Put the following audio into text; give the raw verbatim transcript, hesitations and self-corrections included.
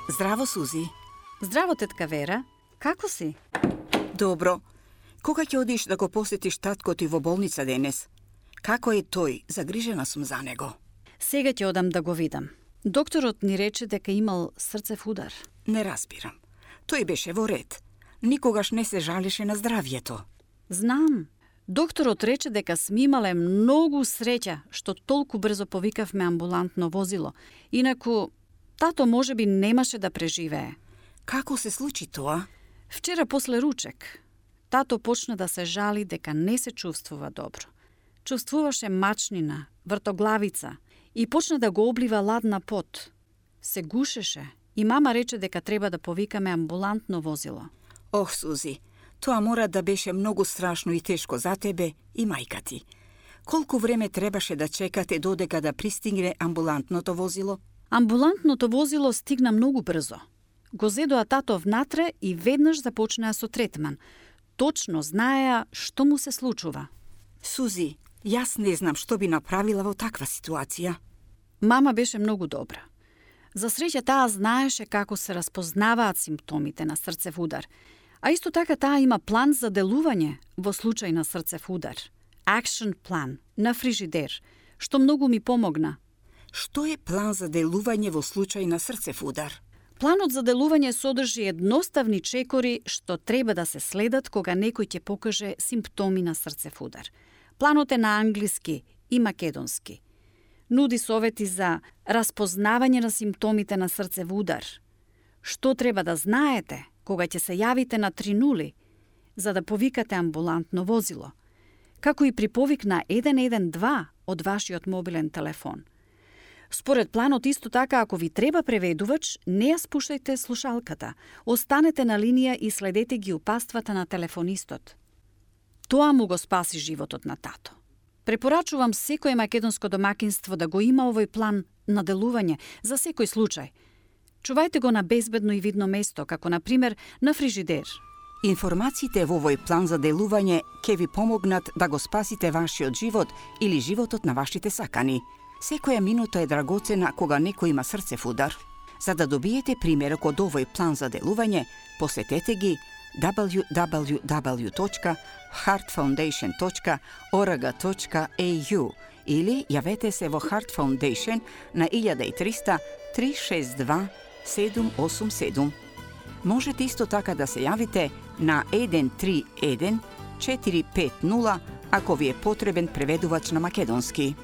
Здраво, Сузи. Здраво, тетка Вера. Како си? Добро. Кога ќе одиш да го посетиш татко ти во болница денес? Како е тој? Загрижена сум за него. Сега ќе одам да го видам. Докторот ни рече дека имал срцев удар. Не разбирам. Тој беше во ред. Никогаш не се жалеше на здравјето. Знам. Докторот рече дека сме имале многу среќа што толку брзо повикавме амбулантно возило. Инаку, тато можеби немаше да преживее. Како се случи тоа? Вчера после ручек, тато почна да се жали дека не се чувствува добро. Чувствуваше мачнина, вртоглавица и почна да го облива ладна пот. Се гушеше и мама рече дека треба да повикаме амбулантно возило. Ох, Сузи, тоа мора да беше многу страшно и тешко за тебе и мајка ти. Колку време требаше да чекате додека да пристигне амбулантното возило? Амбулантното возило стигна многу брзо. Го зедоа тато внатре и веднаш започнаа со третман. Точно знаеа што му се случува. Сузи, јас не знам што би направила во таква ситуација. Мама беше многу добра. За среќа таа знаеше како се распознаваат симптомите на срцев удар, а исто така таа има план за делување во случај на срцев удар. Action план на фрижидер, што многу ми помогна. Што е план за делување во случај на срцев удар? Планот за делување содржи едноставни чекори што треба да се следат кога некој ќе покаже симптоми на срцев удар. Планот е на англиски и македонски. Нуди совети за распознавање на симптомите на срцев удар. Што треба да знаете кога ќе се јавите на три нули за да повикате амбулантно возило, како и при повик на еден еден два од вашиот мобилен телефон. Според планот исто така, ако ви треба преведувач, не ја спуштајте слушалката, останете на линија и следете ги упаствата на телефонистот. Тоа му го спаси животот на тато. Препорачувам секој македонско домакинство да го има овој план на делување за секој случај. Чувајте го на безбедно и видно место, како на пример на фрижидер. Информациите во овој план за делување ќе ви помогнат да го спасите вашиот живот или животот на вашите сакани. Секоја минута е драгоцена кога некој има срцев удар. За да добиете примерок од овој план за делување, посетете ги дабл ю дабл ю дабл ю точка heart foundation точка org точка e u или јавете се во Heart Foundation на илјада и триста три шест два седум осум седум. Можете исто така да се јавите на еден три еден четири пет нула ако ви е потребен преведувач на македонски.